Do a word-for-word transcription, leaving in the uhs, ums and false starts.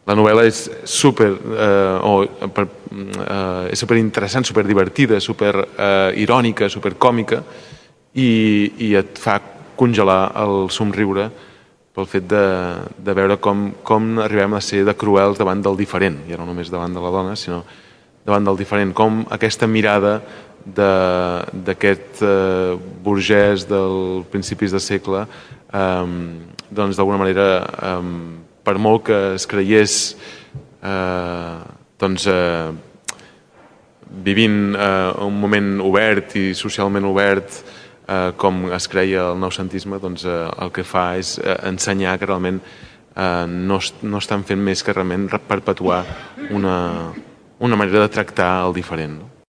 La novel·la és super, eh, o, per, eh, és super interessant, super divertida, super eh, irònica, super còmica, i, i et fa congelar el somriure pel fet de, de veure com, com arribem a ser de cruels davant del diferent, ja no només davant de la dona, sinó davant del diferent, com aquesta mirada d'aquest eh, burgès dels principis de segle eh, doncs d'alguna manera eh, per molt que es creiés eh, doncs eh, vivint eh, un moment obert i socialment obert eh, com es creia el noucentisme, doncs eh, el que fa és eh, ensenyar que realment eh, no, no estan fent més que realment perpetuar una, una manera de tractar el diferent, no?